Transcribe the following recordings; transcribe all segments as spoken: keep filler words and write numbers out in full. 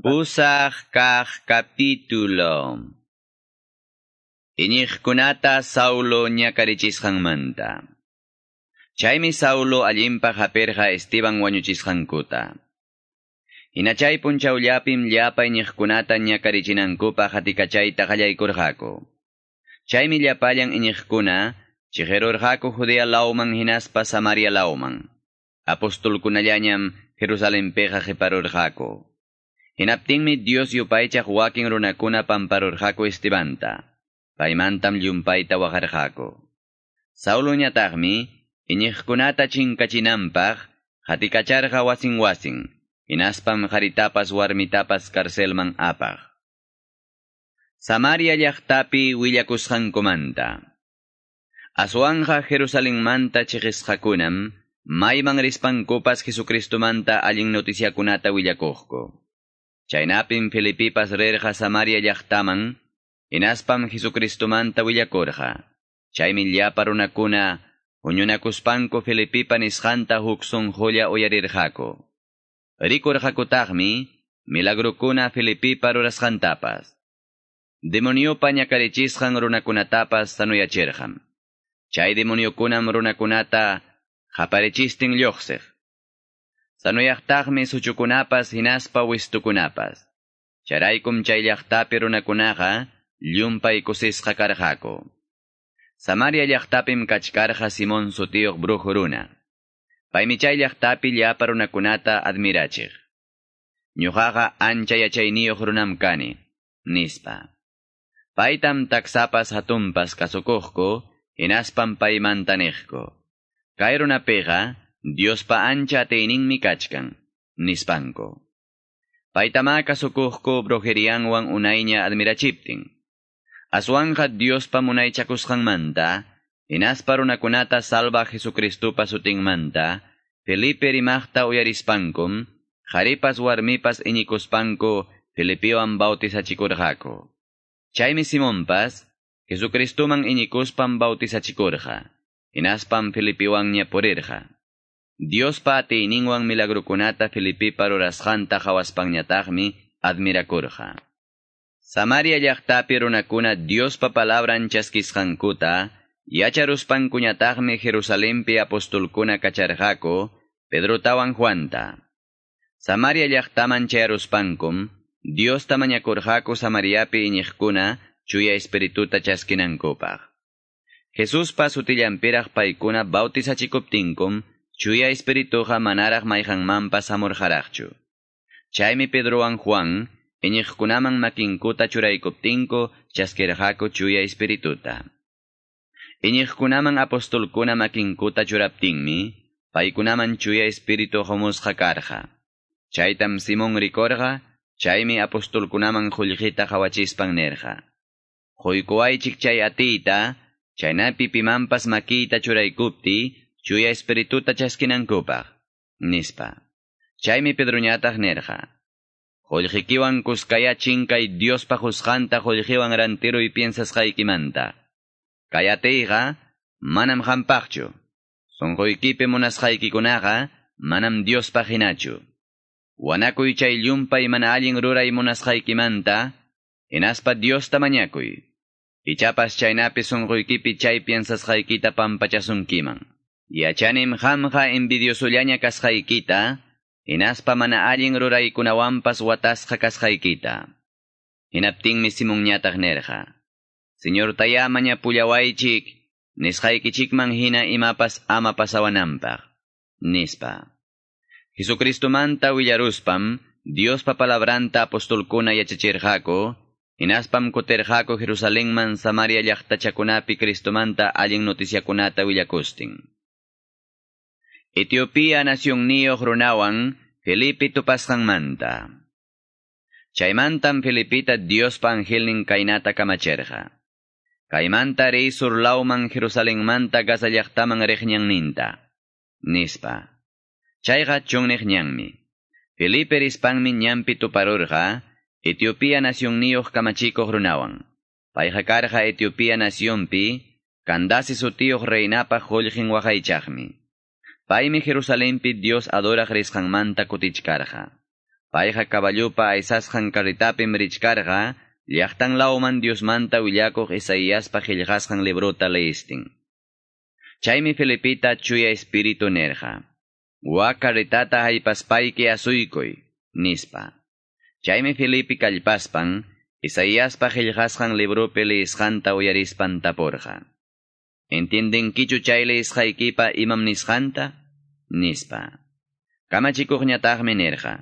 Pusaq kaq capítulo. Iñiqkunata Saulo ñakarichisqanmanta. Chaymi Saulo allinpaq hapirqa Esteban wañuchisqankuta. Hina chay punchawllapim llapa iñiqkunata ñakarichinankupaq hatikachayta qallaykurqaku. Chaymi llapallan iñiqkuna chiqirurqaku Judea lawman hinaspa Samaria lawman. Apostolkunallañam Jerusalenpiqa qiparurqaku. Hinaptinmi Dios yupaychaq wakin runakuna pamparurqaku Estebanta. Paymantam llumpayta waqarqaku. Sauloñataqmi iñiqkunata chinkachinanpaq hatikacharqa wasin wasin, hinaspam qaritapas warmitapas carcelman apaq. Samaria llaqtapi willakusqankumanta. Aswanja Jerusalenmanta chiqisqakunam mayman rispankupas Jesucristomanta allin noticiakunata willakuqku. Chaynapim Felipipas rirqa Samaria llaqtaman, hinaspam Jesucristomanta willakurqa. Chaymi llapa runakuna huñunakuspanku Felipipa nisqanta huk sunqulla uyarirqaku. Rikurqakutaqmi milagrukuna Felipipa rurasqantapas. Demoniopa ñakarichisqan runakunatapas sanuyachirqam. Chay demoniokunam runakunata qaparichistin lluqsiq. Sanuyaqtaqmi suchukunapas hinaspa wistukunapas. Chayraykum chay llaqtapi runakunaqa llumpay kusisqa karqaku. Samaria llaqtapim kachkarqa Simón sutiyuq brujo runa. Paymi chay llaqtapi llapa runakunata admirachiq. Ñuqaqa ancha yachayniyuq runam kani, nispa. Paytam taksapas hatunpas kasukuqku, hinaspam paymanta niqku. Kay runapiqa Diospa ancha atiyninmi kachkan, nispanku. Paytamá kasukuqku brujerianwan unayña admirachiptin. Aswanja Diospa munaychakusqanmanta, hinaspa runakunata salva Jesucristopa sutinmanta, Felipe rimaqta uyarispankum, qharipas warmipas iñikuspanku Felipewan bautizachikurqaku. Chaymi Simonpas, Jesucristoman iñikuspan bautizachikurqa, hinaspam Felipewanña purirqa. Diospa atiyninwan milagrukunata Felipepa rurasqanta qhawaspanñataqmi admirakurqa. Samaria llaqtapi runakuna Diospa palabran chaskisqankuta, yacharuspankuñataqmi Jerusalenpi apostolkuna kacharqaku Pedrotawan Juanta. Samaria llaqtaman chayaruspankum, Diosta mañakurqaku Samariapi iñiqkuna chuya espirituta chaskinankupaq. Jesuspa sutillanpiraq paykuna bautizachikuptinkum, chuya espirituqa manaraq mayqanmanpas hamurqaraqchu. Chaymi Pedrowan Juan, iñiqkunaman makinkuta churaykuptinku chaskirqaku chuya espirituta. Iñiqkunaman apostolkuna makinkuta churaptinmi, paykunaman chuya espiritu humusqa karqa. Chaytam Simón rikurqa, chaymi apostolkunaman qullqita qhawachispan nirqa. Quykuwaychik chay atiyta, chaynapi pimanpas makiyta churaykupti, chuya espirituta chaskinankupaq, nispa. Chaymi Pedroñataq nirqa. Qullqikiwan kuskaya chinkay Diospa qusqanta qullqiwan rantiruy piensasqaykimanta. Kay atiyqa manam qampaqchu. Sunquykipi munasqaykikunaqa manam Diospaq hinachu. Wanakuy chay llumpay mana allin ruray munasqaykimanta, hinaspa Diosta mañakuy. Ichapas chaynapi sunquykipi chay piensasqaykita pampachasunkiman. Yachanim qamqa envidiosollaña kasqaykita, hinaspa mana allin ruraykunawanpas watasqa kasqaykita. Hinaptinmi Simonñataq nirqa. Señortayá mañapullawaychik, nisqaykichikman hina imapas ama pasawananpaq, nispa. Jesucristomanta willaruspam, Diospa palabranta apostolkuna yachachirqaku, hinaspam kutirqaku Jerusalenman Samaria llaqtachakunapi Cristomanta allin noticiakunata willakustin. Etiopía nacionniyuq runawan Felipe tupasqanmanta. Chaymantam Felipita Diospa angelnin kaynata kamachirqa. Kaymanta riy sur lawman Jerusalenmanta Gaza llaqtaman riq ñanninta, nispa. Chayqa chunniq ñanmi. Felipe rispanmi ñanpi tuparurqa Etiopía nacionniyuq kamachikuq runawan. Payqa karqa Etiopía nacionpi Candace sutiyuq reinapa qullqin waqaychaqmi. Paymi Jerusalenpi Dios adoraq risqanmanta kutichkarqa. Payqa caballupa aysasqan carretapim richkarqa, llaqtan lawman Diosmanta willakuq Isaiaspa qillqasqan librota leistin. Chaymi Felipita chuya espíritu nerqa. Wak carretata haypaspayki asuykuy, nispa. Chaymi Felipe kallpaspan, Isaiaspa qillqasqan libropi leisqanta uyarispan tapurqa. Entiendenkichu chay leisqaykipa imam nisqanta? Nispa. Kamachikuqñataqmi nirqa.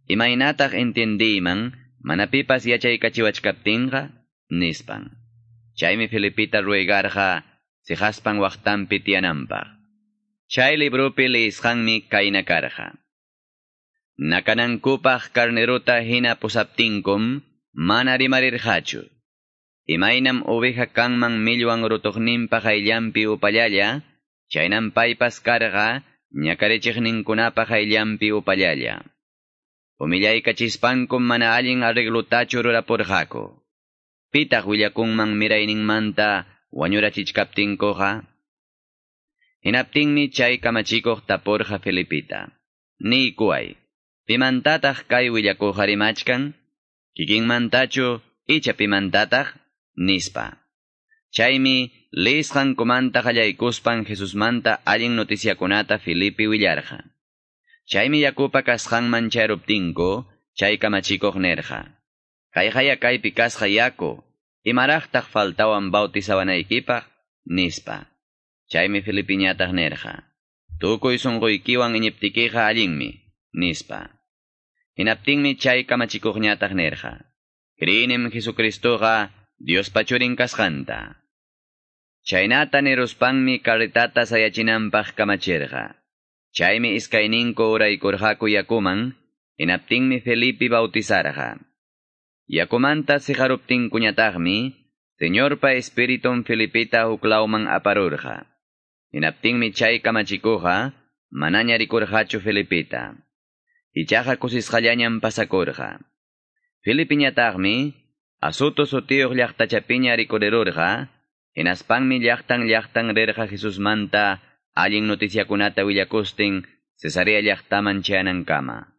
Imaynataq entiendiyman mana pipas yachaykachiwachkaptinqa? Nispan. Chaymi Felipita ruegarqa siqaspan waqtanpi tiyananpaq. Chay libropi leisqanmi kayna karqa. Nakanankupaq carnerota hina pusaptinkum mana rimarirqachu. Imaynam oveja kanman millwan rutuqninpa qayllanpi upallalla, chaynam paypas karqa ñakarichiqninkunapa qayllanpi upallalla. Humillaykachispankum mana allin arreglotachu rurapurqaku. Pitaq willakunman mirayninmanta wañurachichkaptinkuqa? Hinaptinmi chay kamachikuq tapurqa Felipita. Niykuway, pimantataq kay willakuqqa rimachkan? Kikinmantachu icha pimantataq? Nispa. Chaymi leisqankumanta qallaykuspan Jesusmanta allin noticiakunata Felipe willarqa. Chaymi yakupa kasqanman chayruptinku, chay kamachikuq nirqa. Kayqaya kaypi kasqa yaku, imaraqtaq faltawan bautizawanaykipaq? Nispa. Chaymi Felipiñataq nirqa. Tukuy sunquykiwan iñiptikiqa allinmi, nispa. Hinaptinmi chay kamachikuqñataq nirqa. Kriinim Jesucristoqa Diospa churin kasqanta. Chaynata niruspanmi carretata sayachinanpaq kamachirqa. Chaymi iskayninku uraykurqaku yakuman, hinaptinmi Felipe bautizarqa. Yakumanta siqaruptinkuñataqmi, Señorpa Espiritun Felipita huklawman aparurqa. Hinaptinmi chay kamachikuqa, manaña rikurqachu Felipita. Ichaqa kusisqallañam pasakurqa. Felipiñataqmi, Azoto sutiyuq llaqtachapiña rikurirurqa, hinaspanmi llaqtan llaqtan rirqa Jesusmanta allin noticiakunata willakustin Cesarea llaqtaman chayanankama.